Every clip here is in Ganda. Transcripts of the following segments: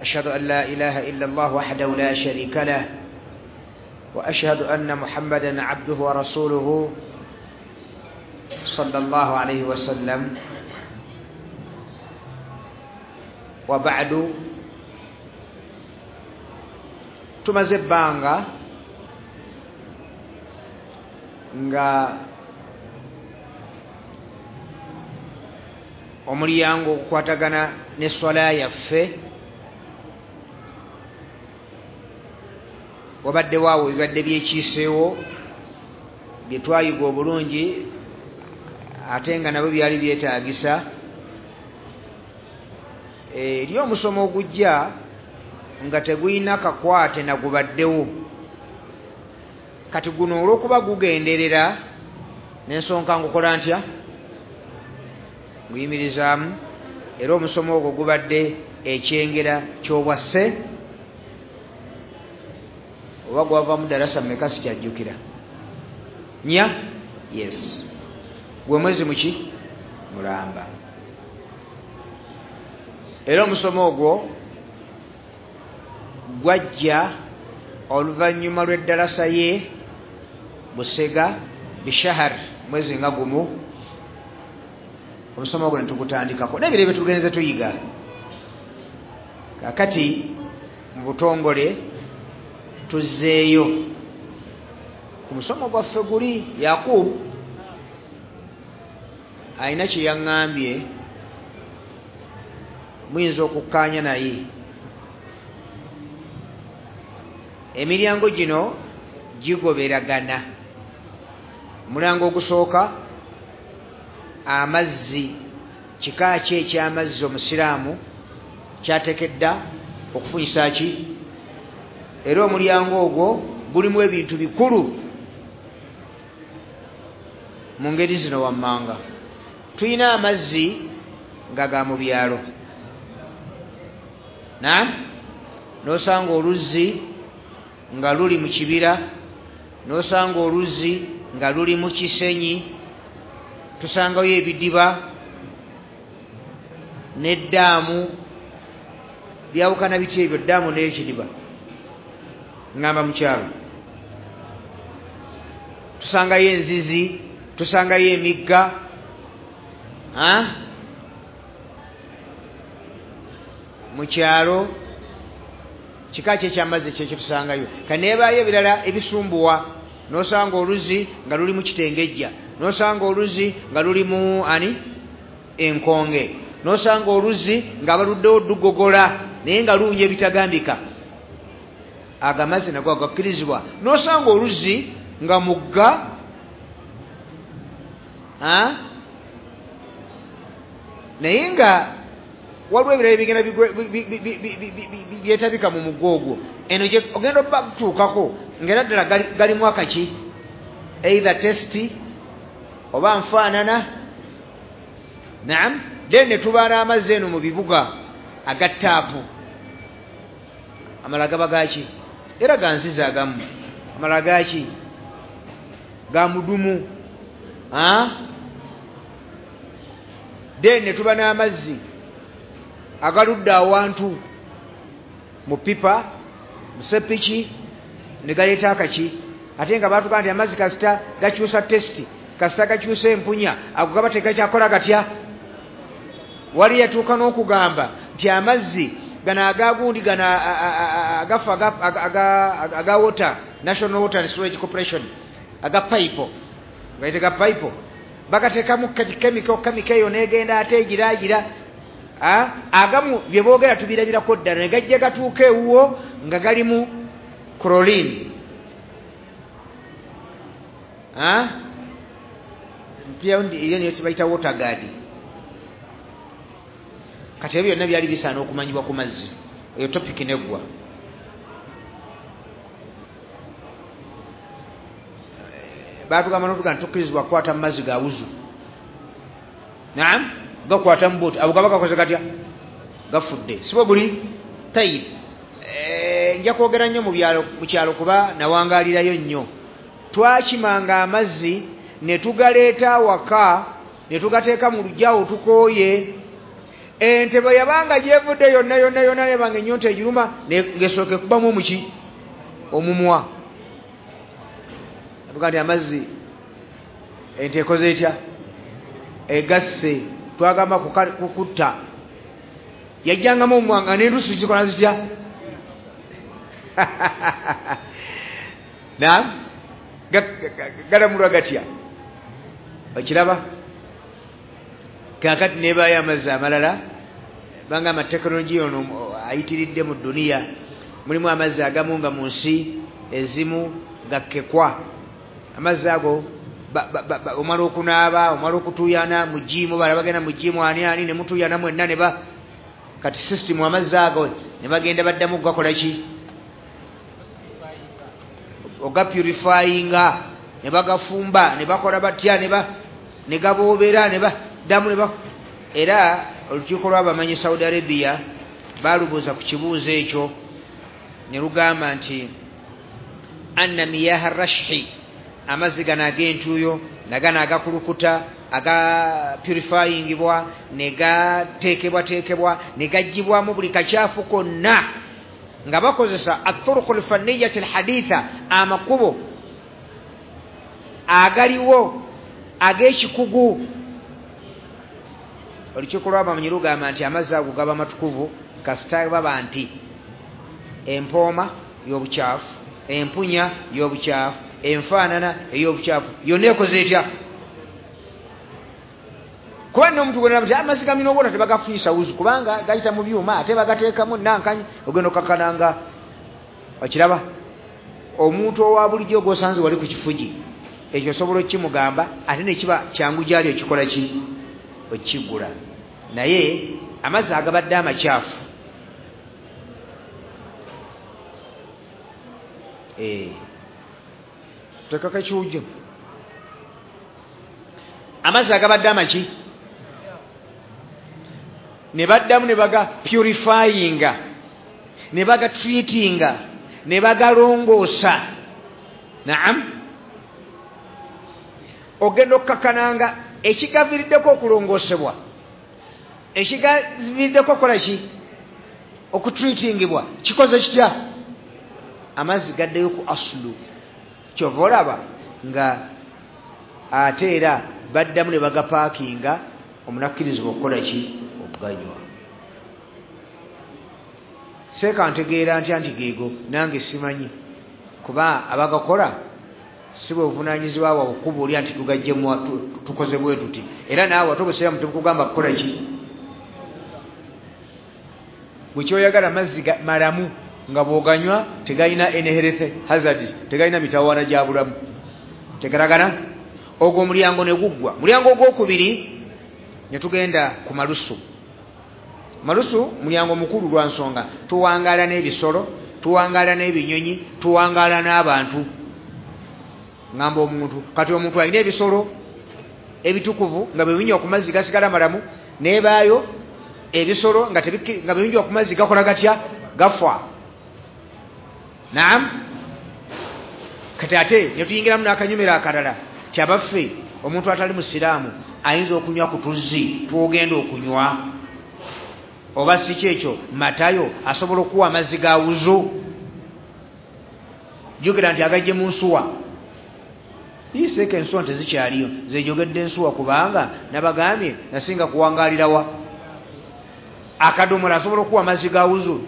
أشهد أن لا إله إلا الله وحده لا شريك له، وأشهد أن محمدا عبده ورسوله صلى الله عليه وسلم. وبعد، tumaze ebbanga nga omulyango ogukwatagana n'esswala yaffe wabadde waawo ebibadde byekiiseewo bye twayiga obulungi, ate nga nabyo byali byetaagisa eri omusomo ogujja nga tegulina kakwate nagubaddewo. Kati guno olw'okuba gugenderera n'ensonga ngukola ntya, nguyimirizaamu. Era omusomo ogwo gubadde ekyengera ky'obwasse, oba gwavaamu ddalasa mmeka sikyajjukira, 4. Yes, gwe mwezi muki mulamba. Era omusomo ogwo gwajja oluvannyuma lw'eddalasa ye Busega bishahar, mwezi nga gumu. Omusomo ogwo ne tugutandikako n'ebiro bye tugenze tuyiga. Kaakati mu butongole tuzzeeyo ku musomo gwaffe guli. Yakub alina kye yaŋŋambye, muyinza okukkaanya naye. Emiryango gino gigoberagana. Omulyango ogusooka, amazzi, kika ki eky'amazzi omusiraamu kyateekedda okufunyisa ki? Era omulyango ogwo gulimu ebintu bikulu mu ngeri zino wammanga. Tulina amazzi nga ga mu byalo, n'osanga oluzzi nga luli mu kibira, n'osanga oluzzi nga luli mu kisenyi, tusangayo ebidiba n'eddaamu. Byawukana biti ebyo, ddaamu n'ekidiba? Ngamba mu kyalo tusangayo enzizi, tusangayo emigga. Mu kyalo kika ki ekyamazzi kyekyo tusangayo. Kaneebaayo ebirala ebisumbuwa, n'osanga oluzzi nga luli mu kitengejja, n'osanga oluzzi nga luli mu ani enkonge, n'osanga oluzzi nga baluddewo lugogola naye nga luwunya ebitagambika. Ago amazzi nago agakkirizibwa. N'osanga oluzzi nga mugga, naye nga waliwo ebirala ebigenda byetabika mu mugga ogwo. Eno ogenda obatuukako ng'era ddala galimu akaki, either testi oba nfaanana. Naam. Then ne tuba n'amazzi eno mu bibuga aga ttaapu. Amalala gaba gaki? Era ga nzizi agamu. Amalala gaki? Ga mudumu. Then ne tuba n'amazzi agaludde awantu mu pipa, mu sepiki, ne galeeta akaki. Ate nga baatugaa nti amazzi kasita gakyusa testi, kasita gakyusa empunya, ago gaba tegakyakola gatya. Wali yatuuka n'okugamba nti amazzi gano agagundi gano agafa aga water, National Water and Storage Corporation, aga pipe, gaite ga pipe, bagateekamu chemical eyo n'egenda ate egiraagira. Agamu bye boogera tubirabirako ddala, ne gajja gatuuka ewuwo nga galimu chlorine. Eyo niyo tibayita water guard. Kati ebyo byonna byali bisaana okumanyibwa ku mazzi. Eyo topic neggwa. Baatugamba n'otuga nti tukkirizibwa kukwata mu mazzi ga wuzu. Naam, gakwata mu buti. Abo gaba gakoze gatya? Gafudde. Si bwe guli? Tayib. Nja kwogera nnyo mu kyalo kuba nawangaalirayo nnyo. Twakimanga amazzi ne tugaleeta awaka, ne tugateeka mu luggya awo tukooye. Ente bwe yabanga gyevudde yonna yonna yonna, yabanga ennyonta egiruma, ng'esooka ekubamu omuki omumwa, atuga nti amazzi ente ekoze etya, egasse. Twagamba kukutta, yajjangamu omumwa nga n'endusu zikola zitya? Naam, galamulwa gatya? Okiraba? Kakati nebaayo amazzi amalala, bangamba tekinologiya ono ayitiridde mu duniya, mulimu amazzi agamu nga mu nsi ezimu gakkekwa. Amazzi ago omala okunaaba, omala okutuuyana mu jiimu, bala bagenda mu jiimu ani ani ne mutuuyana mwenna ne ba kati system amazzi ago ne bagenda baddamu gakola ki, ogapurifyinga, ne bagafumba, ne bakola batya, ne gaboobera, ne baddamu ne ba. Era olukiiko lw'abamanyi Saudi Arabia baalubuuza ku kibuuzo ekyo ne lugamba nti anna miyaha rashhi, amazzi gano ag'entuuyo nagano agakulukuta agapurifyingibwa ne gateekebwateekebwa ne gaggyibwamu buli kakyafu konna nga bakozesa aturuku lfanniyati alhaditha, amakubo agaliwo ag'ekikugu. Olukiiko lw'abamanyi lugamba nti amazzi ago gaba matukuvu kasita baba nti empooma y'obukyafu, empunya y'obukyafu, enfaanana ey'obukyafu yonna ekoze etya? Kuba nno omuntu gwena nti amazzi ga minerals tebagafunyisa wuzu kubanga gayita mu byuma ate bagateekamu nankanyi, ogenda okakkananga. Okiraba? Omuntu owa bulijjo gw'osanze wali ku kifugi ekyo osobola okukimugamba ate ne kiba kyangu gy'ali okikola ki, okigula. Naye amazzi agabadde amakyafu tekako ekiwujjo, amazzi agabadde amaki ne baddamu ne baga purifyinga, ne baga treatinga, ne bagalongoosa. Naam, ogenda okukakkananga ekigaviiriddeko okulongoosebwa, ekigaviiriddeko okukola ki, okutreatingibwa, kikoze kitya? Amazzi gaddeyo ku asulu. Kyova olaba nga ate era baddamu ne bagapaakinga, omunakkirizibwa okukola ki, okuganywa. Seeka ntegeera ntya nti geego nange simanyi, kuba abagakola si bwe buvunaanyizibwa bwabwe okubuulira nti tugaggyemu tukoze bwe tuti, era naawe ate obusiraamu tebukugamba kukola ki. Bwe kyoyagala mazzi malamu nga bw'oganywa tegalina any health hazards, tegalina mitawaana gya bulamu. Tegeragana? Ogwo omulyango ne guggwa. Mulyango ogwokubiri ne tugenda ku malusu. Malusu mulyango mukulu lwa nsonga tuwangaala n'ebisolo, tuwangaala n'ebinyonyi, tuwangaala n'abantu. Ngamba omuntu, kati omuntu alina ebisolo ebitukuvu nga bwe binywa ku mazzi gasigala malamu, n'ebaayo ebisolo nga bwe binywa ku mazzi gakola gatya, gafa. Naam, kati ate ne tuyingiramu n'akanyumira akalala ti abaffe omuntu atali musiraamu ayinza okunywa ku tuzzi twogenda okunywa, oba si kyekyo Matayo asobola okuwa amazzi ga wuzu. Jjukira nti agajje mu nsuwa, iseeka ensuwa tezikyaliyo, nze njogedde ensuwa kubanga nabagambye nasinga kuwangaalirawa. Akadomola asobola okuwa amazzi ga wuzu?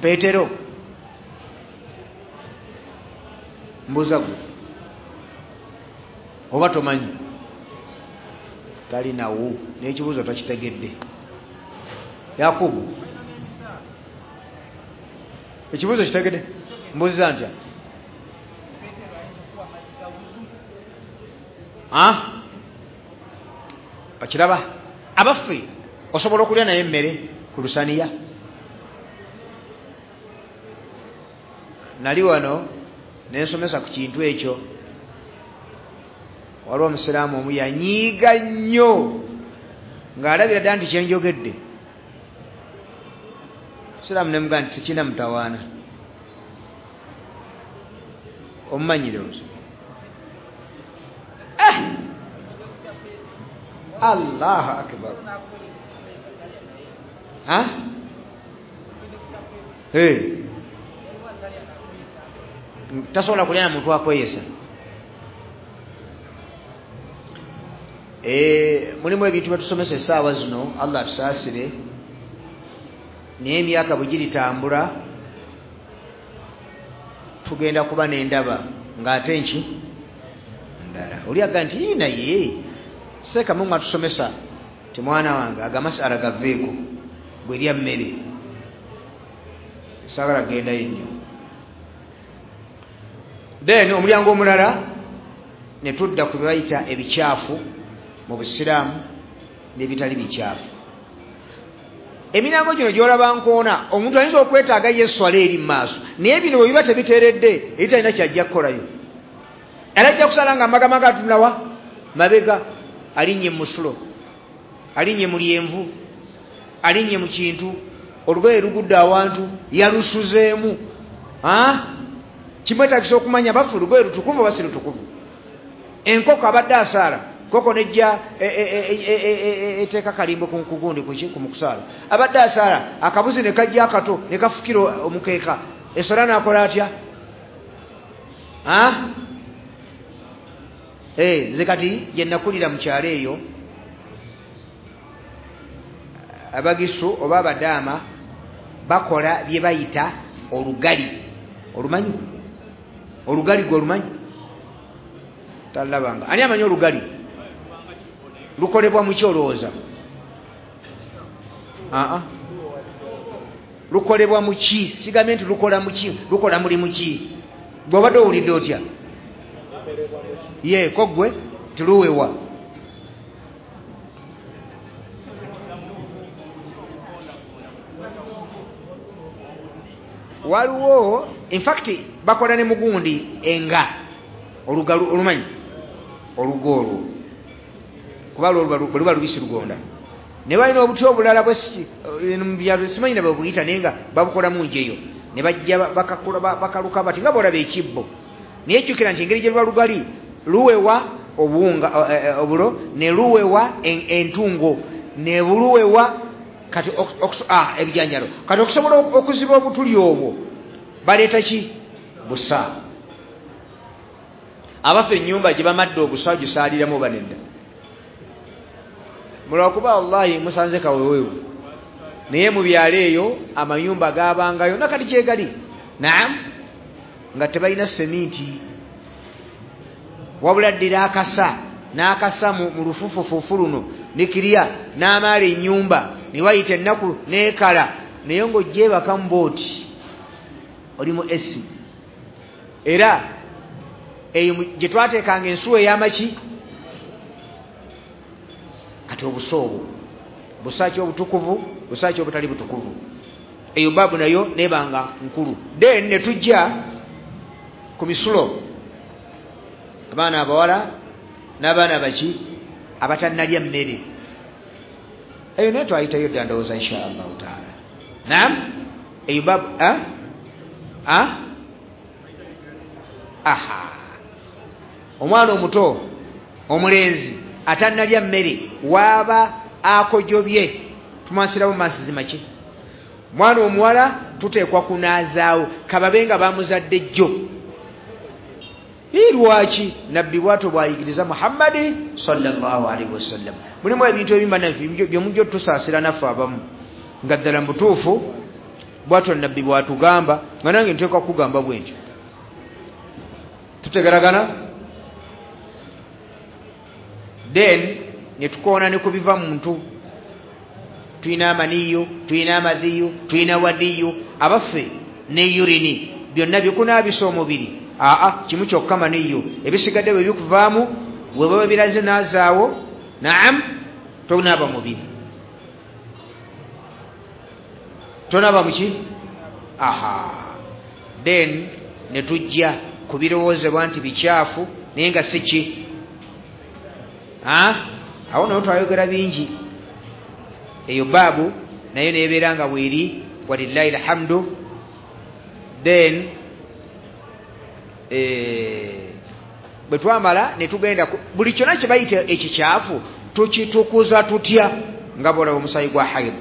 Peetero mbuuza gwe oba tomanyi? Talinawo n'ekibuuzo tokitegedde. Yakubu, ekibuuzo kitegedde? Mbuuziza ntya? Okiraba? Abaffe osobola okulya naye emmere ku lusaniya? Nali wano nensomesa ku kintu ekyo, waliwo omusiraamu omu yanyiiga nnyo ng'alabira ddala nti kyenjogedde. Musiraamu nemugamba nti tekirina mutawaana, omumanyire ozo. Allahu akbar. Tasobola kulya na muntu akweyesa. Mulimu ebintu byetusomesa essaawa zino, Allah atusaasire, naye emyaka bwe giritambula tugenda kuba n'endaba ng'ate nki ndala. Oli aga nti naye seeka Mungu atusomesa ti mwana wange aga masala gaveeko bwerya mmere, saagala gendayo nnyo. Then omulyango omulala ne tudda ku bye bayita ebikyafu mu busiraamu n'ebitali bikyafu. Emiryango gino gy'olaba nkoona, omuntu ayinza okwetaaga ye esswala eri mu maaso, naye bino bwe biba tebiteeredde eri talina kyajja kukolayo. Era ajja kusala nga amagamaga atunulawa mabega, alinnye mu musulo, alinnye mu lyenvu, alinnye mu kintu, olugoye lugudde awantu yalusuzeemu. Kimwetaagisa okumanya bafu lugoye lutukuvu oba si lutukuvu. Enkoko abadde asaala, nkoko nejja eteeka kalimbo ku gundi ku mukusaala, abadde asaala akabuzi ne kajja akato ne kafukira omukeeka, eswala n'akola atya? Nze kati gye nakulira mu kyalo eyo, abagisu oba abadaama bakola bye bayita olugali. Olumanyi? Olugali gwe olumanyi? Talabanga. Ani amanyi olugali? Lukolebwa mu ki olowooza? Lukolebwa mu ki? Sigambye nti lukola mu ki, lukola mulimu ki? Gwe obadde owulidde otya? Ye ko gwe tiluwewa. Waliwo in fact bakola ne mugundi enga olugalu olumanyi olugo olwo kuba luba lubisi lugonda, ne balina obuti obulala bwe simanyi na bwe buyita, naye nga babukola mu njeyo ne bajja bakaluka bati nga bw'olaba ekibbo. Naye jjukira nti engeri gye luba lugali luwewa obuwunga obulo ne luwewa entungo ne buluwewa kati ebijanjalo. Kati okusobola okuziba obutuli obwo baleeta ki? Busa. Abaffe ennyumba gye bamadde obusa gisaaliramu oba nedda? Mulwakuba wallahi musanze kaweweewu, naye mu byalo eyo amayumba gaabangayo nakati gyegali, naam, nga tebalina seminti, wabula ddira akasa n'akasa mu lufufufufu luno nikirya n'amaala ennyumba ne wayita ennaku n'ekala, naye ng'ogyebaka mu booti oli mu esi. Era eyo gye twateekanga ensuwa ey'amaki. Kati obusa obwo busa ki obutukuvu, busa ki obutali butukuvu? Eyo baabu nayo nebanga nkulu. Then ne tujja ku misulo, abaana abawala n'abaana baki abatannalya mmere, eyo naye twayitayo dda ndowooza insha Allahu taala. Naam, eyo baabu aha, omwana omuto omulenzi atannalya mmere waaba akojobye tumansirawo mansizi maki. Mwana omuwala tuteekwa kunaazaawo kababe nga bamuzadde jjo. Lwaki nabbi bwatyo bwayigiriza Muhammadi sallallahu alaihi wasallam. Mulimu ebintu ebimu bannaffe byemujja otusaasira naffe abamu nga ddala mubutuufu bwatyo nabbi bwatugamba, nga nange nteekwa kugamba bwe ntyo. Tutegeragana? Then ne tukoona ne ku biva muntu, tulina amaniyo, tulina amadhiyo, tulina wadiyo, abaffe ne urini byonna bikunaabisa omubiri. Kimu kyokka maniyo, ebisigadde bwe bikuvaamu bwe baba biraze naazaawo, naam, tonaaba mubiri, tonaaba muki. Then ne tujja ku birowoozebwa nti bikyafu naye nga si ki. Awo nayo twayogera bingi. Eyo baabu nayo nebeera nga bweri, walillahi alhamdu. Then bwe twamala ne tugenda buli kyonna kye bayita ekikyafu tukitukuza tutya nga bw'olaba omusaayi gwa haid.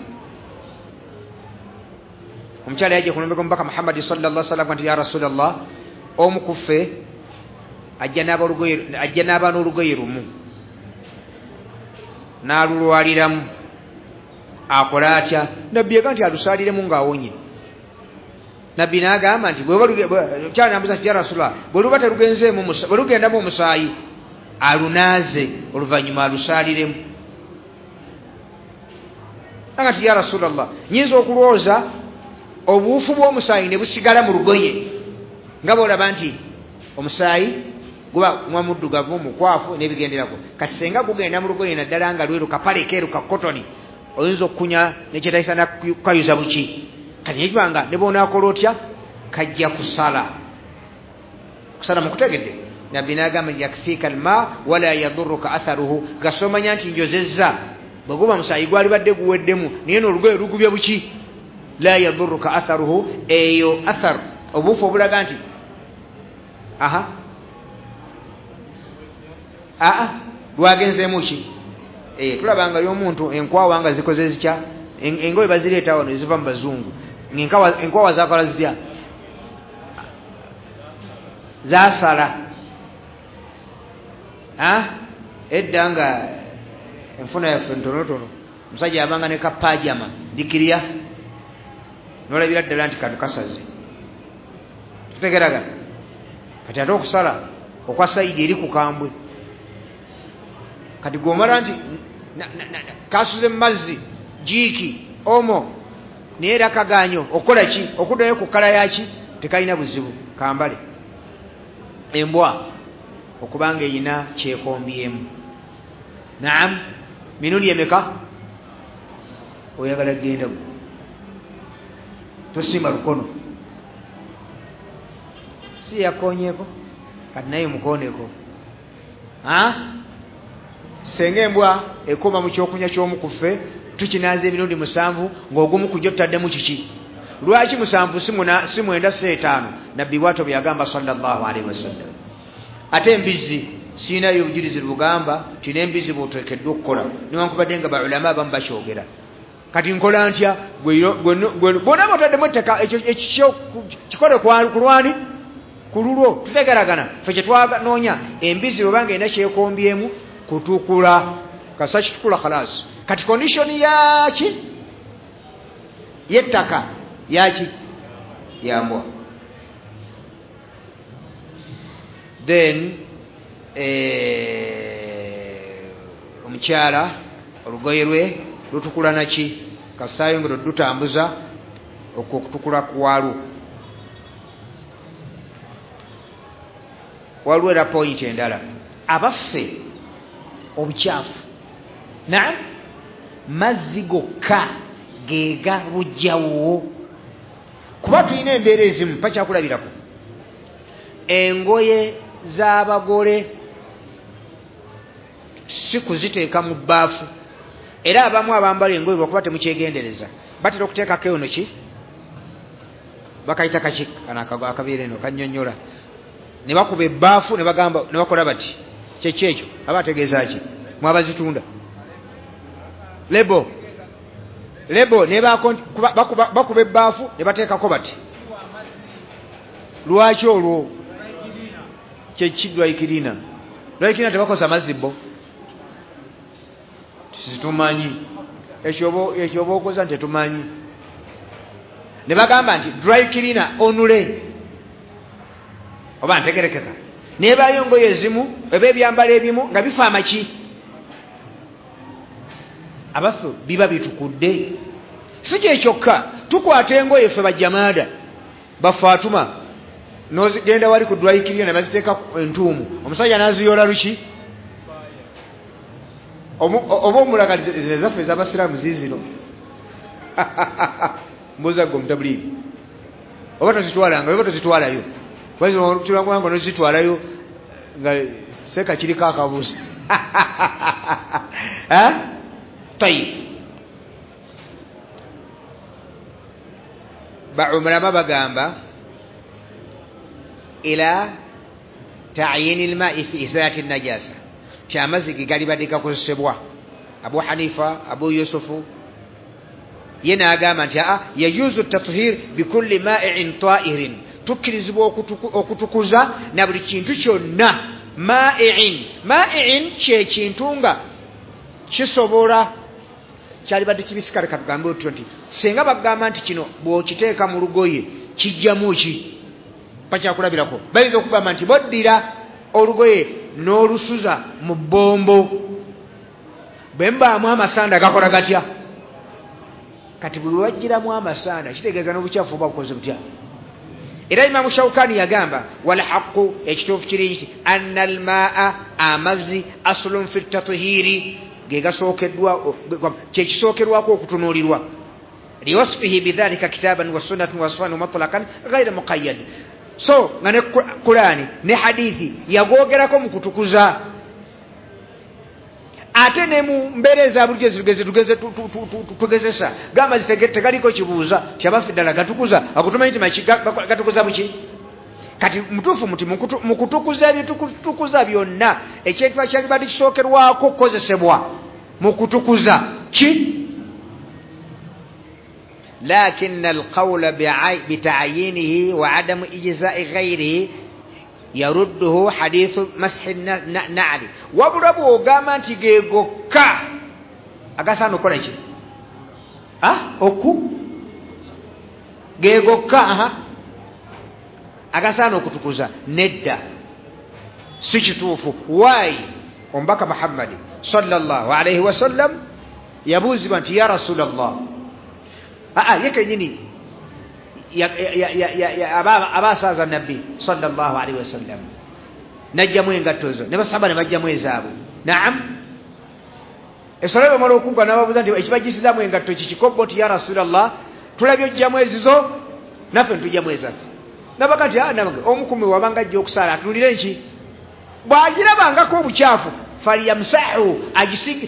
Omukyala yajja ku mulembe gw'omubaka Muhammadi sallallahu alaihi wasallam nti ya Rasulallah, omu ku ffe ajja n'aba n'olugoye lumu n'alulwaliramu, akola atya? Nabbi yaga nti alusaaliremu ng'awonye. Nabbi n'agamba nti omukyala n'amubuuza nti ya Rasulallah, bwe luba terugenzeemu bwe lugendamu omusaayi alunaaze oluvannyuma alusaaliremu. Aga nti ya Rasulallah, nnyinza okulwoza obuwufu bw'omusaayi ne busigala mu lugoye, nga bw'olaba nti omusaayi guba mwa muddugavu mukwafu n'ebigenderako, kati senga gugenda mu lugoye naddala nga lweru kapale keeru ka kotoni, oyinza okukunya nekyetayisa nakukayuza buki. Kati nekibanga ne bw'onaakola otya kajja kusala. Kusala mukutegedde. Nabbi n'agamba nti yakfiika alma wala yaduruka atharuhu, gasomanya nti njozezza, bwe guba musaayi gwalibadde guweddemu naye n'olugoye lugubye buki, la yaduruka atharuhu, eyo athar obuufu obulaga nti aha aa lwagenzeemu ki. Tulabanga y'omuntu enkwawa nga zikoze zitya, engoye bazireeta wano eziva mu bazungu, enkwawa zakola zitya, zasala. Edda nga enfuna yaffe ntonotono, omusajja abanga ne kapajama dikirya nolabira ddala nti kano kasaze. Tutegeragana. Kati ate okusala okwa sayidi eri kukambwe, kati gwomala nti kasuze mu mazzi jiiki omo naye era kaganyo okukola ki, okuddayo ku kkala yaki, tekalina buzibu kambale. Embwa okubanga eyina kyekombyemu. Naam, mirundi emeka oyagala kugenda gwe? Tosimba lukono, si yakonyeeko kati naye mukoneko. Senga embwa ekoma mu kyokunywa ky'omu ku ffe tukinaaza emirundi 7 ng'ogumu ku gyo tutaddemu kiki. Lwaki 7 si 9 si 5? Nabbi bw'atyo bwe yagamba sallallahu alaihi wasallam. Ate embizzi siinayo obujulizi bugamba nti n'embizzi bw'oteekeddwa okukola, newankubadde nga baulama abamu bakyogera. Kati nkola ntya? Bw'onaaba otaddemu ettaka ekyo kikole ku lwani, ku lulwo. Tutegeragana. Ffe kye twanoonya embizzi bw'obanga erina kyekombyemu kutukula, kasa kitukula khalasi. Kati condition yaki yettaka yaki yambwa. Then omukyala olugoye lwe lutukula naki, kasayongera odutambuza okwo okutukula kwalwo. Waliwo era point endala, abaffe obukyafu naam mazzi gokka gega bujjawo, kuba tulina embeera ezimu pakyakulabirako engoye z'abagole si kuziteeka mu bbaafu, era abamu abambala engoye lwakuba temukyegendereza batera okuteekako eno ki bakayita kaki kano akabeera eno kannyonnyola, ne bakuba ebbaafu ne bagamba ne bakola bati kyeki ekyo aba ategeeza ki mwabazitunda lebo lebo ne bakuba ebbaafu ne bateekako bati. Lwaki olwo kyeki dwaikirina dwaikirina tebakosa mazzi bo situmanyi ekyo ekyo okoza nti tetumanyi. Ne bagamba nti dry cleaner onule oba ntegerekeka, nebayo ngoye ezimu eba ebyambalo ebimu nga bifa amaki abaffe biba bitukudde. Si kyekyokka, tukwata engoye ffe bajjamaada bafaatuma nozigenda wali ku dry cleaner ne baziteeka entuumu, omusajja n'aziyola luki oba omulaga ezaffe ez'abasiraamu ziizino mbuuza gwe omutabuliiri oba tozitwalanga oba tozitwalayo tulanganga nozitwalayo nga seeka kiriko akabuuza. Tayib, baumulama bagamba ila ta'yini al-ma'i fi izalati an-najasa, ti amazzi ge galibadde gakozesebwa. Abu Hanifa, Abu Yusufu Ye n'agamba nti aa yajuzu tathhir bikulli maa'in ta'irin, tukkirizibwa okutukuza na buli kintu kyonna. Maa'in, maa'in kye kintu nga kisobola kyalibadde kibisikale. Katugambe otyo nti singa bagamba nti kino bw'okiteeka mu lugoye kijjamu ki, bakyakulabirako bayinza okugamba nti boddira olugoye n'olusuza mu bbombo, bwe mbaamu amasanda gakola gatya? Kati bwe wajjiramu amasanda kitegeeza n'obukyafu oba bukoze butya. Era Imamu Shawkani yagamba wal haqqu, ekituufu kiri nti anna almaa, amazzi, aslun fi tathhiri, ge gasookeddwa, kyekisookerwako okutunuulirwa, liwasfihi bidhalika kitaban wa sunnatan wa sunan mutlaqan ghayra muqayyad. So nga ne Kurani ne hadithi yagogerako mu kutukuza, ate ne mu mbeera eza bulijjo tugezesa gamba tegaliko kibuuza kyabaffe ddala gatukuza, akutumanyi nti gatukuza buki. Kati mutuufu muti mu kutukuza ebitukuza byonna ekintu kyalibadde kisookerwako okukozesebwa mu kutukuza ki? Lakin alqawla bita'yinihi wa adamu ijza'i ghayrihi yarudduhu hadithu mashi na'li. Wabula bw'ogamba nti ge gokka agasaana okukola ki? Oku ge gokka agasaana okutukuza, nedda, si kituufu. Why? Omubaka Muhammadi sallallahu alaihi wasallam yabuuzibwa nti ya Rasulallah, ye kennyini abasaaza nabbi sallallahu alaihi wasallam najjamu engatto zo ne basaba ne bajjamu ezaabwe. Naam, eswala bwemala okugwa n'ababuuza nti ekibajjisizaamu engatto kikikobbo? Nti ya Rasulallah, tulabye ojjamu ezizo naffe ntujjamu ezaffe. Nabaga nti omukumi wabanga ajja okusaala atuulire nki, bw'agirabangako obukyafu falyamsahu,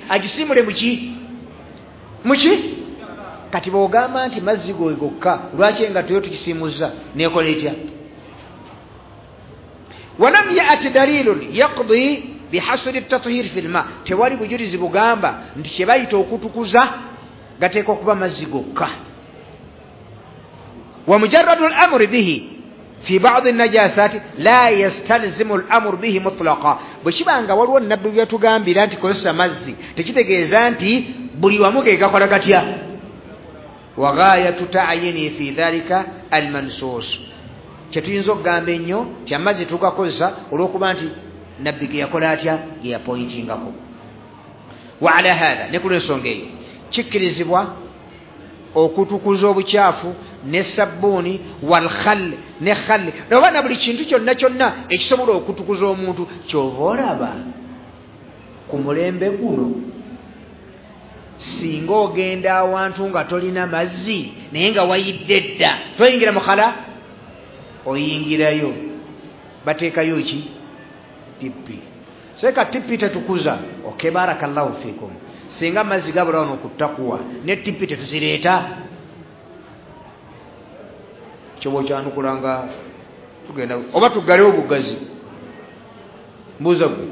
agisiimule muki muki. Kati bw'ogamba nti mazzi goe gokka, lwaki engatto yo tukisiimuzza neekola etya? Walam ya'ti dalilun yaqdi bihasri at-tathhir fi al-ma, tewali bujulizi bugamba nti kye bayita okutukuza gateekwa kuba mazzi gokka. Wa mujarradu al-amri bihi fi ba'd an-najasati la yastalzimu al-amru bihi mutlaqa. Bwe kibanga waliwo nabbi byatugambira nti kozesa mazzi, tekitegeeza nti buli wamu ge gakola gatya. Wa ghayatu ta'yini fi dhalika al-mansus, kyetuyinza okugamba ennyo nti amazzi tugakozesa olw'okuba nti nabbi ge yakola atya, ge yapointingako. Wa ala hatha, ne ku lw'ensonga eyo kikkirizibwa okutukuza obukyafu ne sabbuuni wal khal, ne khal, oba na buli kintu kyonna kyonna ekisobola okutukuza omuntu. Ky'oba olaba ku mulembe guno, singa ogenda awantu nga tolina mazzi naye nga wayidde dda, toyingira mukhala, oyingirayo bateekayo ki? Tippi. Seka tippi tetukuza. Okay, barakallahu fikum. Singa amazzi gabula wano ku takuwa ne tippi tetuzireeta, kyoba okyanukula nga tugenda oba tuggalewo obugazi. Mbuuza gwe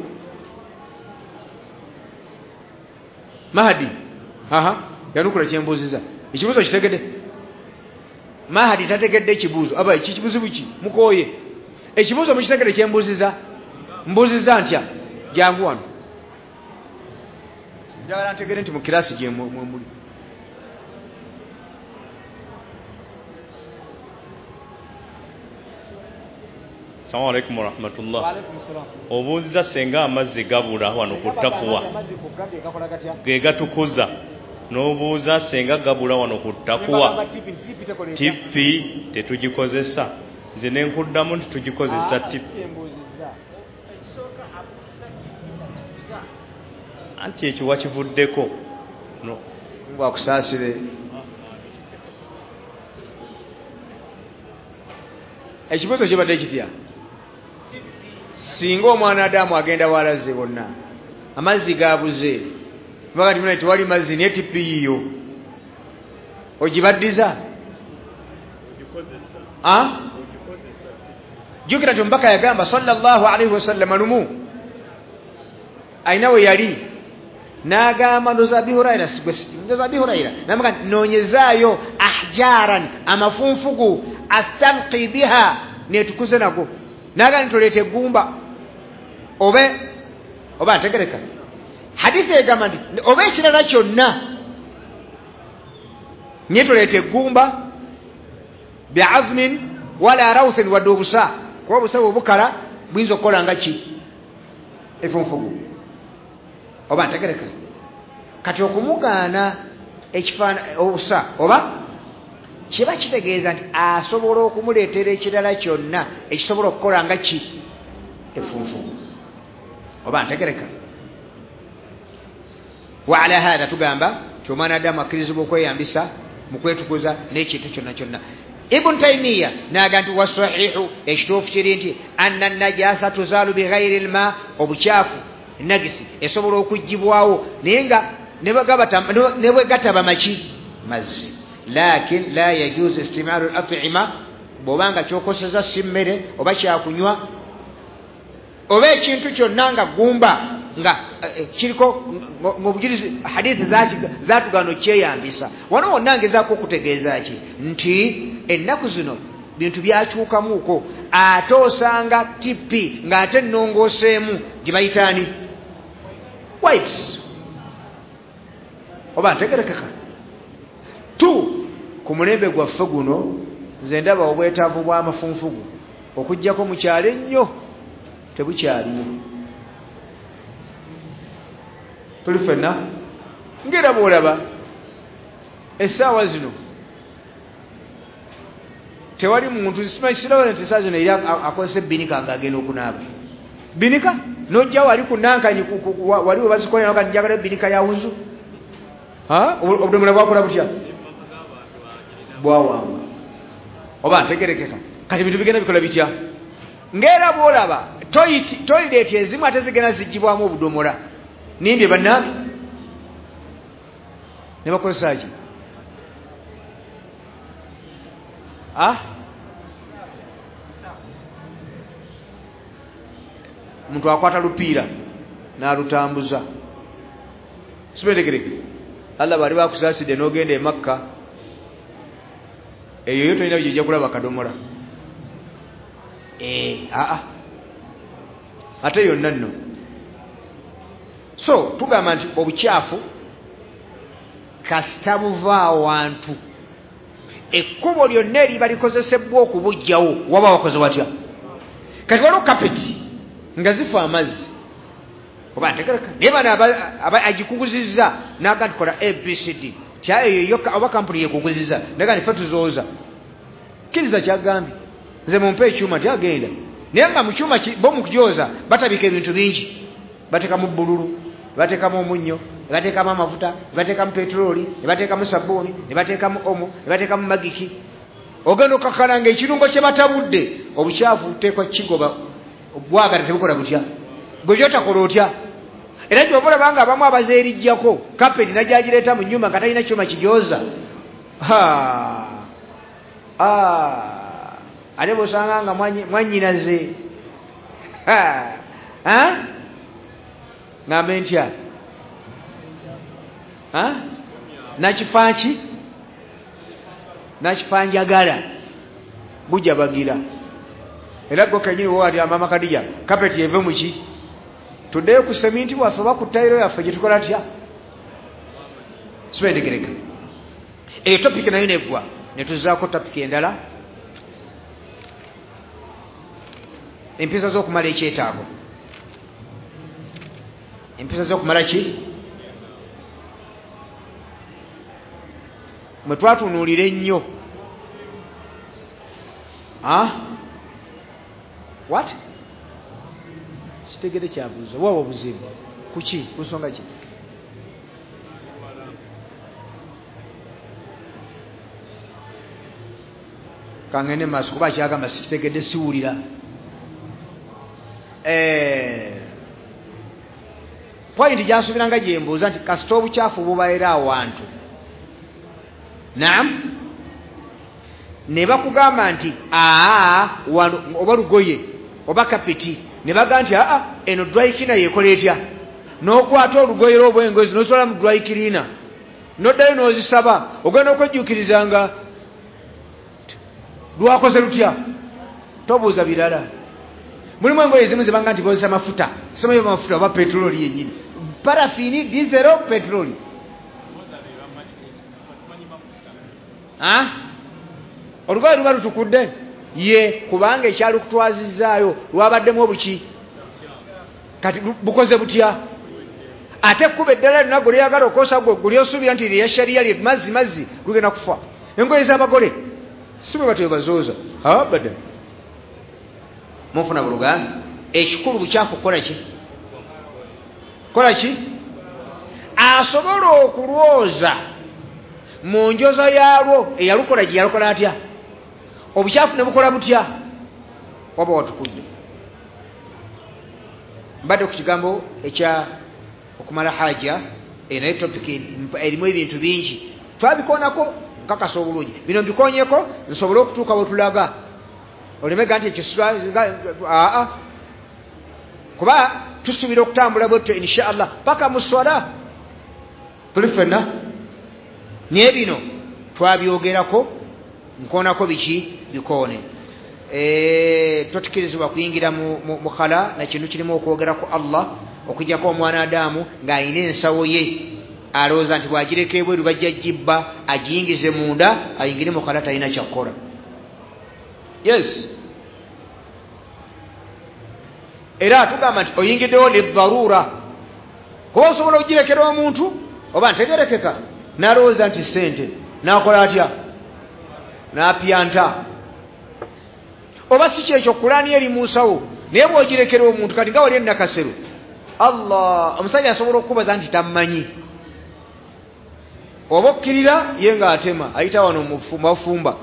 Mahadi, yanukula kyembuuziza. Ekibuuzo kitegedde? Mahadi tategedde ekibuuzo. Aba ekibuuzo ki? Mukooye. Ekibuuzo mukitegedde kyembuuziza? Mbuuziza ntya? Jangu wano. Njagala ntegere nti mu kirasi gye muli. Assalamu alaikum warahmatullah. Wa alaikum salam. Obuuziza senga amazzi gabula wano ku takuwa ge gatukuza, n'obuuza senga gabula wano ku takuwa tippi tetugikozesa. Nze ne nkuddamu nti tugikozesa tippi. Anti ekyo wakivuddeko. No. Mungu akusaasire. Ekibuuzo kibadde kitya? Singa omwana Adamu agenda walaze bonna amazzi gabuze, bagati muna tewali mazzi naye tippi yiyo ogibaddiza? Jjukira nti omubaka yagamba sallallahu alaihi wasallam lumu alina we yali N'agamba ndoza Abi Huraira, ndoza Abi Huraira n'amugamba nti noonyezaayo ahjaran, amafunfugu, astanqi biha, neetukuze nago. N'agamba nti toleeta eggumba oba ntegereka. Hadithi egamba nti oba ekirala kyonna naye toleeta eggumba biazmin wala rawthin, wadde obusa, kuba obusa bwe bukala buyinza okukola nga ki efunfugu. Oba ntegereka. Kati okumugaana obusa oba kiba kitegeeza nti asobola okumuleetera ekirala kyonna ekisobola okukola nga ki efunfugu. Oba ntegereka. Wa ala hatha tugamba nti omwana Adamu akkirizibwa okweyambisa mu kwetukuza n'ekintu kyonna kyonna. Ibn Taymiya n'agamba nti wasahihu, ekituufu kiri nti anna najasa tuzalu bighairi lma, obukyafu nagisi esobola okugibwawo naye nga ne bwe gataba maki mazzi. Lakin la yajuzu istimalu al-at'ima, bw'obanga kyokoseza si mmere oba kyakunywa oba ekintu kyonna nga gumba nga kiriko ng'obujulizi hadithi zaatugaana okyeyambisa. Wano wonna ngezaako okutegeeza ki nti ennaku zino bintu byakyukamuuko, ate osanga TP ng'ate ennongooseemu gye bayitaani wipes. Oba ntegerekeka. Tu ku mulembe gwaffe guno nze ndaba obwetaavu bw'amafunfugu okuggyako mu kyalo ennyo tebukyaliwo. Tuli ffenna ng'era bw'olaba essaawa zino tewali muntu siraba nti essaawa zino eri akozesa ebbinika ng'agenda okunaaba. Binika n'ojja wali ku nankanyi wali we bazikolera nga njagala ebbinika ya wuzu, obudomola bwakola butya bwawamba. Oba ntegerekeka. Kati ebintu bigenda bikola bitya ng'era bw'olaba toyileeti ezimu ate zigenda zigibwamu obudomola nimbye bannange ne bakozesa ki? Omuntu akwata lupiira n'alutambuza. Sibetegereke. Allah bali bakusaasidde n'ogenda e Makka, eyo yo tolina gy'ojja kulaba kadomola. Ate yonna nno. So tugamba nti obukyafu kasita buva awantu, ekkubo lyonna eriba likozesebwa okubuggyawo waba wakoze watya. Kati waliwo kapeti nga zifa amazzi, oba ntegereka, naye bano agikuguzizza n'agamba nti kola ABCD kya eyo yokka, oba kampuni yekuguzizza naga nti ffe tuzooza. Kkiriza kyagambye, nze mumpe ekyuma nti agenda, naye nga mu kyuma bo mu kugyoza batabika ebintu bingi, bateekamu bbululu, bateekamu omunnyo, bateekamu amafuta, bateekamu petulooli, bateekamu sabbuuni, bateekamu omo, bateekamu magiki. Ogenda okkakkana ng'ekirungo kye batabudde obukyafu buteekwa kigoba bwagala tebukola butya, gwe gyotakola otya. Era kyova olaba nga abamu abazeerijjako kapeti najjagireeta mu nnyumba nga talina kyuma kijooza. Ate bw'osanga nga mwannyinaze ngambe ntya nakifanki nakifanjagala bujabagira. Era gwe kennyini woowali amaama Kadija kapeti eve muki, tuddeyo ku seminti waffe oba ku tayiro yaffe gye tukola tya. Sibentegereka. Eyo topiki nayo neggwa, ne tuzzaako topiki endala, empisa z'okumala ekyetaago. Empisa z'okumala ki? Mwe twatunuulira ennyo. What? Kitegere kyabuuza wawa obuzibu kuki, ku nsonga ki? Kangende maaso kuba kyagamba sikitegedde, siwulira. Pointi gyansuubira nga gyembuuza nti kasita obukyafu bubaera awantu, naam, ne bakugamba nti wano oba lugoye oba kapeti, ne bagamba nti eno dry cleaner yekola etya, N'okwata olugoye lw'obwengozi n'ozitwala mu dry cleaner, n'oddayo n'ozisaba, ogenda okwejjuukiriza nga lwakoze lutya. Tobuuza birala. Mulimu engoye ezimu zebanga nti bozesa mafuta, simanyi mafuta oba petroli yennyini, parafini, dizero, petroli. Olugoye luba lutukudde ye, kubanga ekyalukutwazizaayo lwabaddemu obuki, kati bukoze butya? Ate ekkubo eddala lyonna gwe lyagala okwosa gwe gulyosuubira nti lya shariya lye mazzi mazzi, lugenda kufa. Engoye z'abagole si bwe batyo bazooza abadan. Munfuna buluganda? Ekikulu bukyafu kukola ki? Kola ki? Asobola okulwoza mu njoza yaalwo eyalukola gye yalukola atya? Obukyafu ne bukola butya? Waba watukudde. Mbadde ku kigambo ekya okumala haja, naye topic erimu ebintu bingi twabikoonako nkakasa obulungi. Bino mbikoonyeko nsobole okutuuka we tulaga, olemega nti ekyo aa, kuba tusuubira okutambula bwetyo insha Allah paka mu swala tuli ffenna. Naye bino twabyogerako, nkoonako biki bikoone. Totukirizibwa kuyingira mu khala na kintu kirimu okwogera ku Allah, okujjako omwana Adamu ng'alina ensawo ye, alowooza nti bw'agireka ebweru bajja gibba, agiyingize munda, ayingire mu khala, talina kyakukola. Yes, era tugamba nti oyingiddewo ne dharura, kuba osobola okugirekera omuntu oba ntegerekeka n'alowooza nti ssente, n'akola atya? N'apyanta. Oba si kyekyo, Kulaani eri mu nsawo, naye bw'ogirekera omuntu, kati nga wali ennakasero, Allah, omusajja asobola okukubaza nti tammanyi, oba okkirira ye ng'atema, ayita wano mubafumba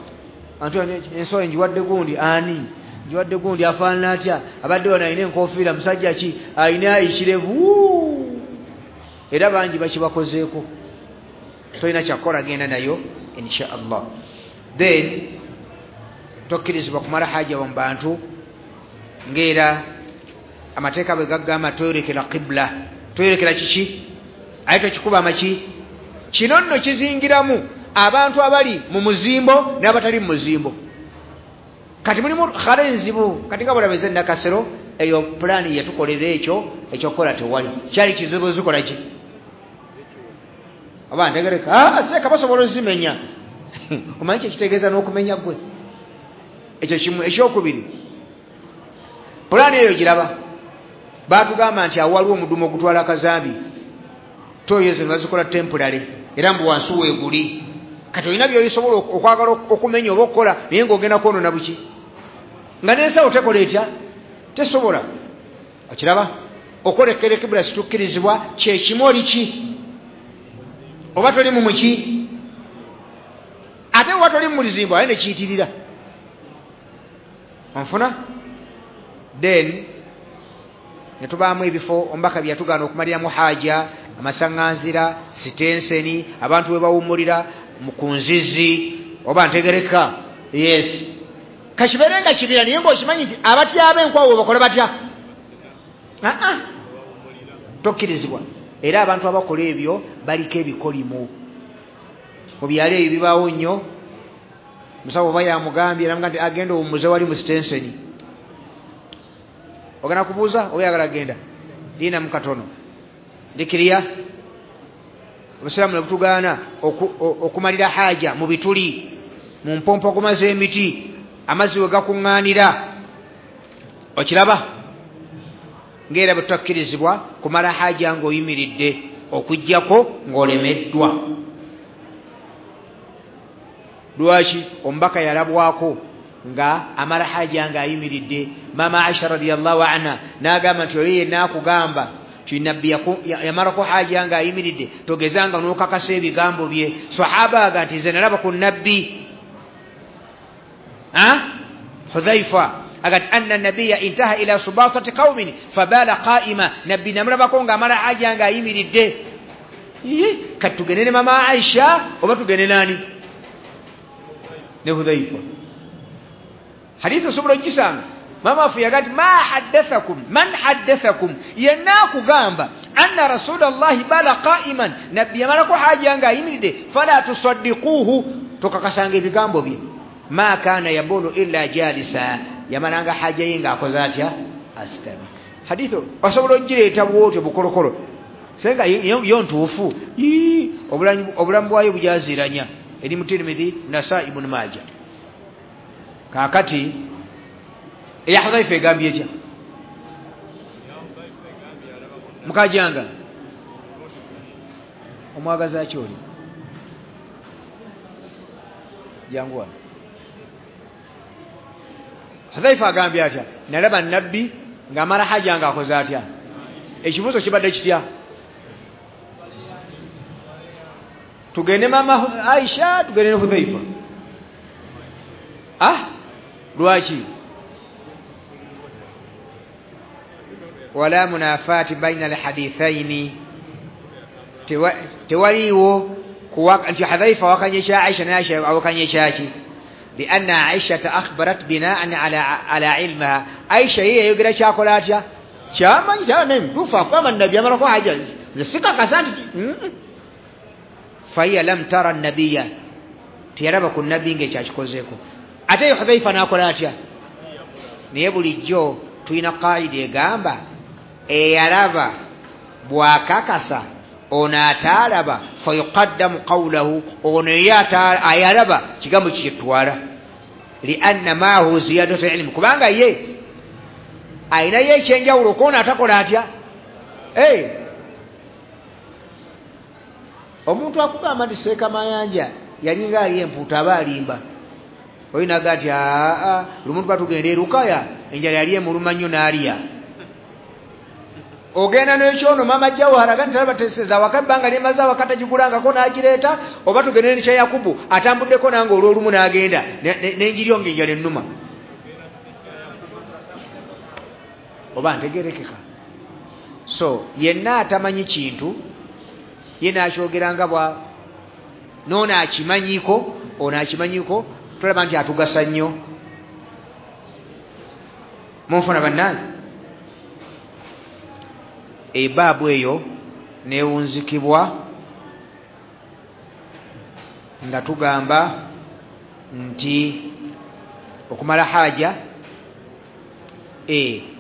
anti ensawo ngiwadde gundi, ani ngiwadde gundi, afaanana atya, abadde wano alina enkofiira, musajja ki, alina ekirevu. Era bangi bakibakozeeko. Tolina kyakukola, genda nayo insha Allah. Then tokkirizibwa kumala haja mu bantu, ng'era amateeka bwe gagamba toyolekera qibla. Toyolekera kiki? Aye tokikuba amaki. Kino nno kizingiramu abantu abali mu muzimbo n'abatali mu muzimbo. Kati mulimu khala enzibu, kati nga bwolaba Nakasero, eyo pulaani yatukolera ekyo ekyokukola tewali, kyali kizibu zikola ki? Oba ntegereka seeka basobola ozimenya. Omanyi kyekitegeeza n'okumenya gwe? Ekyo kimu. Ekyokubiri, pulaani eyo giraba, baatugamba nti awo waliwo omudumu ogutwala akazambi, toyo ezo ne bazikola temporary, era mbu wansi weeguli. Kati olina by'osobola okwagala okumenya oba okukola, naye ng'ogenda kwonoona buki, nga n'ensawo tekola etya? Tesobola. Okiraba? Okwolekera ekibula situkkirizibwa, kyekimu oli ki? Oba toli mu muki? Ate oba toli mu luzimbo, aye ne kiyitirira. Onfuna? Then ne tubaamu ebifo omubaka bye yatugaana okumaliramu haja, amasaŋŋanzira, sitenseni, abantu we bawummulira ku nzizi, oba ntegereka. Yes, kakibeere nga kibira, naye ng'okimanyi nti abatyaba enkwawo we bakola batya? Tokkirizibwa. Era abantu abakola ebyo baliko ebikolimo mu byalo ebyo bibaawo nnyo. Musawo oba yamugambye namuga nti agenda owummuze wali mu sitenseni, ogenda kubuuza oba oyagala genda liinamu katono ndikiriya. Obusiraamu ne butugaana okumalira haja mu bituli, mu mpompogoma z'emiti, amazzi we gakuŋŋaanira. Okiraba? Ng'era bwe tutakkirizibwa kumala haja ng'oyimiridde, okuggyako ng'olemeddwa. Lwaki? Omubaka yalabwako nga amala haja ng'ayimiridde. Mama Aisha radiyallahu anha n'agamba nti oli yenna akugamba nti nabbi yamalako haja ng'ayimiridde, togezanga n'okakasa ebigambo bye. Sahaba aga nti nze nalaba ku nabbi Hudhaifa agati anna nabiyya intaha ila subatati qaumin fabala qa'ima, nabbi namulabako ng'amala haja ng'ayimiridde. Kati tugende ne mama Aisha oba tugende nani? Ne Hudhaifa. Hadithi osobola ogisanga. Mama afu yagati ma haddathakum man haddathakum, yenna akugamba Anna Rasulullahi bala qa'iman, nabbi yamalako haja nga ayimiridde, fala tusaddiquhu, tokakasanga ebigambo bye. Ma kana yabulu illa jalisa, yamalanga haja ye nga akoze atya? Asitami. Hadithu osobola ogireeta bwotyo bukolokolo, senga yo ntuufu, obulamu bwayo bujaziranya. Eri mu Tirmidhi, Nasai, Ibn Majah. Kaakati eya Hudhaifa egambye etya? Mukajanga omwagaza ki oli? Jangu wano. Hudhaifa agambye atya? Nalaba nabbi ng'amala haja ng'akoze atya? Ekibuuzo kibadde kitya? Tugende mama Aisha, tugende ne Hudhaifa. Lwaki? Wala munafati baina alhadithaini, tewaliwo nti Hudhaifa wakanye kya Aisha ne Aisha awakanye kyaki. Lianna Aisha akhbarat binaan ala ilmaha, Aisha yeye yayogera kyakola atya? Kyamanyi kyana mtuufu akugamba nabbi amalako haja sikakasa nti fahiya lam tara nabiyya, teyalaba ku nabbi ng'ekyakikozeeko. Ate Hudhaifa n'akola atya? Naye bulijjo tulina kaida egamba eyalaba bw'akakasa ono ataalaba fayuqaddamu qawlahu, ono ye ayalaba kigambo kikyetwala. Lianna maahu ziyadatu ilmu, kubanga ye ayinayo ekyenjawulo kwona atakola atya? Omuntu akugamba nti Seeka Mayanja yalinga ali empuuta aba alimba. Oyo naga nti lumu tuba tugenda e Lukaya, enjala yali emuluma nnyo n'alya. Ogenda n'ekyono mama Jawahara ga nti talaba teseza awaka ebbanga lyemaze awaka tagigulangako n'agireeta, oba tugende ne kya Yakubu atambuddeko nange olw'olumu n'agenda n'enjiryo ng'enjala ennuma. Oba ntegerekeka. So yenna atamanyi kintu ye n'akyogera nga bwa n'ono akimanyiiko, ono akimanyiiko, tulaba nti atugasa nnyo. Munfuna bannange? Ebaabu eyo newunzikibwa nga tugamba nti okumala haja.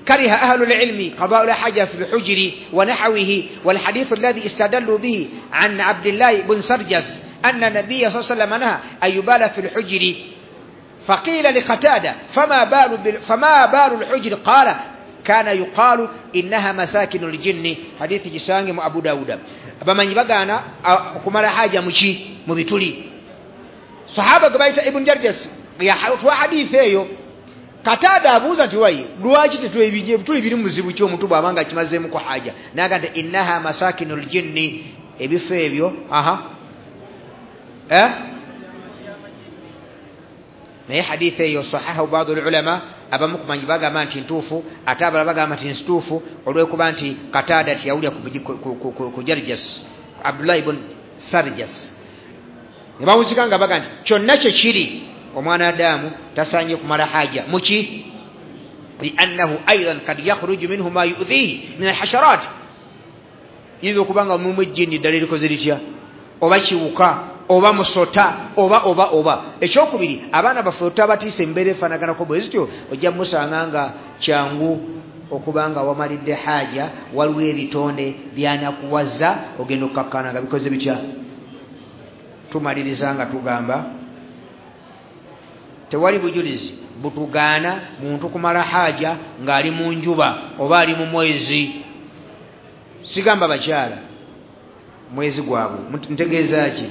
كره أهل العلم قضاء الحاجة في الحجر ونحوه، والحديث الذي استدلوا به عن عبد الله بن سرجس أن النبي صلى الله عليه وسلم نهى أن يبال في الحجر، فقيل لقتادة فما بال الحجر؟ قال كان يقال إنها مساكن الجن. حديث جسانgi أبو داود. abamanyi bagaana okumala haja muki mu bituli. Sahaba gwe bayita Ibn Jarjas yatwa hadithi eyo. Katada abuuza nti wayi lwaki tetwebituli biri muzibu ki omuntu bw'abanga akimazeemu ku haja? N'agamba nti innaha masakinul jinni, ebifo ebyo naye hadithi eyo sahaha baadhi ulama, abamu kumanyi bagamba nti ntuufu, ate abalala bagamba nti nsituufu olw'okuba nti Katada tiyawulira ku Jarjas, Abdullah ibn Sarjas. Ne bawuzika nga baga nti kyonna kye kiri omwana Adamu tasaanye kumala haja muki, liannahu aidan kad yakhruju minhu ma yu'dhihi min alhasharat, yinza okuba nga mulimu ejjini ddala erikoze litya, oba kiwuka oba musota oba oba oba. Ekyokubiri, abaana baffe otabatiisa embeera efaanaganako bwe zityo, ojja musanga nga kyangu okuba nga wamalidde haja, waliwo ebitonde byanakuwaza ogenda okukkakkana nga bikoze bitya. Tumaliriza nga tugamba tewali bujulizi butugaana muntu kumala haja ng'ali mu njuba oba ali mu mwezi. Sigamba bakyala mwezi gwabwe, ntegeeza ki?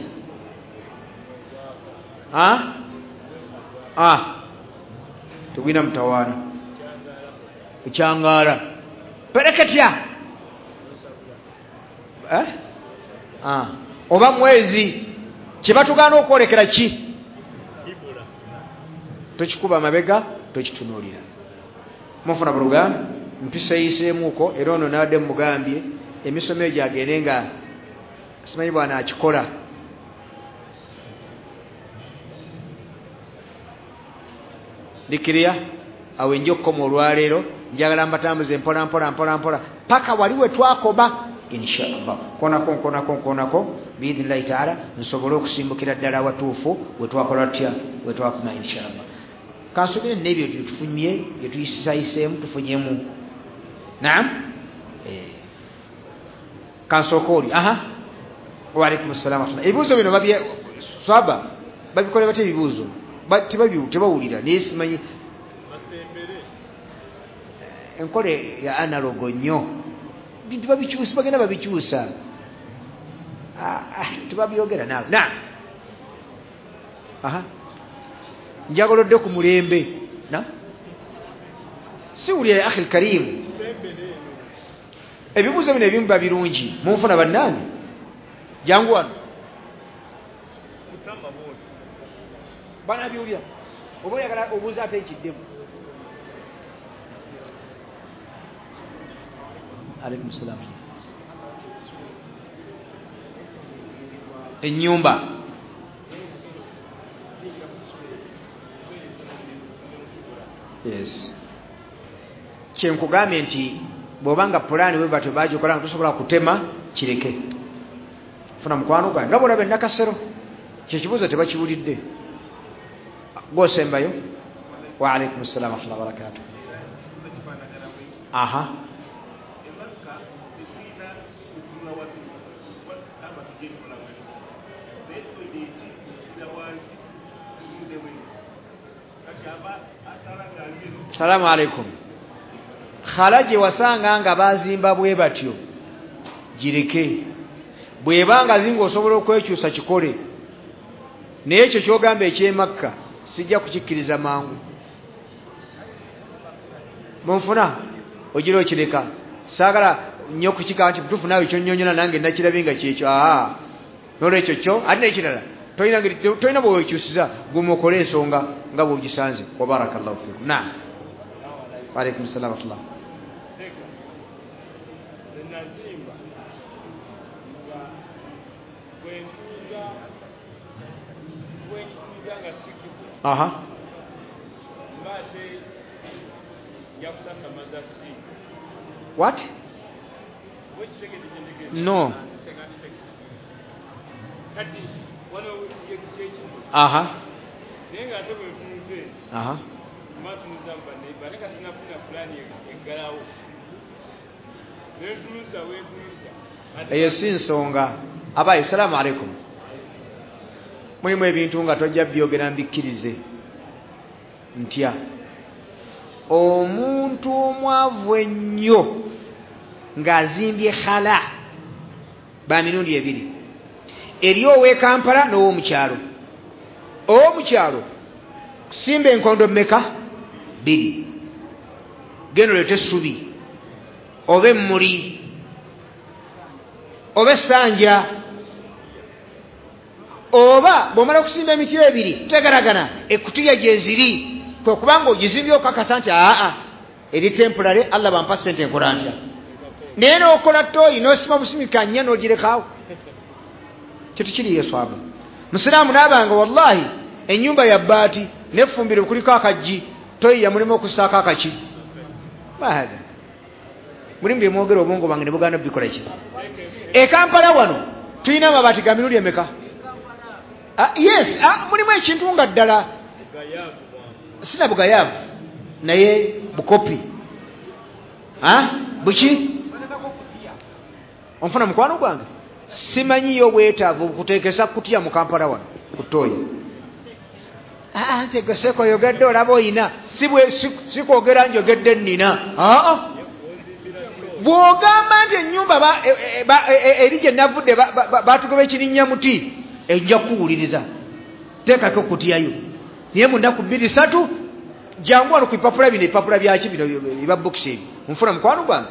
Tugwina mutawaana ekyangaala pereketya oba mwezi, kyebatugaana okwolekera ki? Tokikuba mabega, tokitunuulira. Mufuna buluganda mpisa eyiseemuko era ono naadde mugambye emisomo egyo agende nga simanyi bwana akikola. Ndikiriya awo enja okukoma olwaleero, njagala mbatambuze mpola mpola mpola mpola paka wali we twakoba. Inshallah konako nkonako nkonako biidhnillahi taala, nsobole okusimbukira ddala awatuufu wetwakola tutya, wetwakuma inshallah. Kansubire n'ebyo byetufunye byetuyisayiseemu tufunyemu. Naam, kansooka oli. Aha, waalaikum ssalamu warahmatullah. Ebibuuzo bino swaba babikola batya? Ebibuuzo tebawulira, naye simanyi enkola ya analogo nnyo, bintu babikyusa, bagenda babikyusa, tebabyogera naawe. Naam, aha, njagala odde ku mulembe. Na siwulira ya akhi lkarimu, ebibuuzo bino ebimu biba birungi, munfuna bannange. Jangu wano banabiwulira, oba oyagala obuuza ate ekiddemu. Alaikum salam. Ennyumba yes, kyenkugambye nti bw'obanga pulaani bwe batyo bagikola nga tosobola kutema, kireke. Funa mukwano gwange nga bw'olaba ennakasero, kyekibuuzo tebakiwulidde. Gwosembayo. Wa alaikum salam warahmatullahi wabarakatuh. Aha, salamu alaikum. Khala gye wasanga nga bazimba bwe batyo gireke, bwebanga zinga osobola okwekyusa kikole, naye ekyo kyogamba ekyemakka sijja kukikkiriza mangu. Munfuna ogira okireka, saagala nnyo kukika nti butuufu naawe kyonnyonnyola nange nakirabye nga kyekyo. Aa, nolwekyo kyo ate n'ekirala tolina bwewekyusiza, guma okole ensonga nga bw'ogisanze. Wa barakallahu fikum. Naam, waalaikum salam warahmatullah. Aha, what? No. Aha, aha, eyo si nsonga. Abayi, salaamu alaikum. Mulimu ebintu nga tojja byogera mbikkirize ntya. Omuntu omwavu ennyo ng'azimbye khala ba mirundi ebiri, eri ow'e Kampala n'ow'omukyalo. Ow'omukyalo kusimba enkondo mmeka? 2. Genda oleete essubi oba emmuli oba essanja, oba bw'omala okusimba emiti ebiri tegaragana ekutiya gye ziri, kwe kubanga ogizimbye okakasa nti aa eri temporary, Allah bampa ssente nkola ntya. Naye n'okola toyi n'osima busimika nnya n'ogirekaawo, kyetukiriyo swaba. Musiraamu n'abanga wallahi ennyumba ya bbaati n'effumbiro kuliko akaggi, toyi yamulimu okussaako akaki. Mahaga mulimu bye mwogera obwongo bwange ne bugaana bikola ki. E Kampala wano tulina amabaati ga mirundi emeka? Yes, mulimu ekintu nga ddala sina bugayaavu naye bukopi. Buki onfuna mukwano gwange, simanyiyo bwetaavu kuteekesa kutya mu Kampala wano ku ttooyi. Nti gwe seeko oyogedde olaba oyina, sikwogera njogedde nnina. Bw'ogamba nti ennyumba eri gye navudde batugoba ekirinnya muti, ejja kukuwuliriza, teekako okutyayo. Naye mu nnaku 2 3 jangu wano ku bipapula bino, ebipapula byaki bino ebya bokisi ebyo. Nfuna mukwano gwange,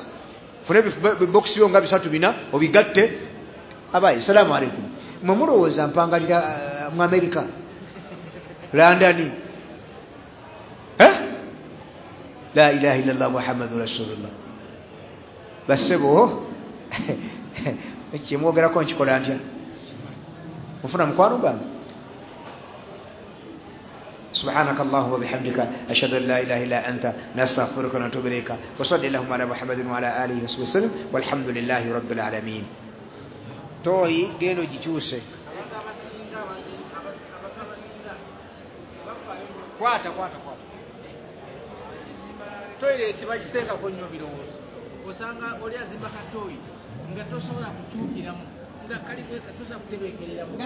nfuna ebibokisi byo nga 3 4 obigatte. Abayi, salaamu alaikum. Mwe mulowooza mpangalira mu Amerika, London? La ilaha illallah Muhammadun rasulullah. Bassebo kyemwogerako nkikola ntya? Nfuna mukwano gwange. Subhanaka Allahumma bihamdika, ashhadu an la ilaha illa anta, nastaghfiruka wa natubu ilayka. Wa salli allahumma ala Muhammadin wa ala alihi wa sahbihi wasallam, walhamdulillahi rabbil alamin. Toyi gendo gikyuse. Kwata kwata kwata. Toilet bagiteekako nnyo birowoozo. Osanga oli azimba katoyi nga tosobola kukyukiramu, nga kali kweka tosobola kutebeekereramu.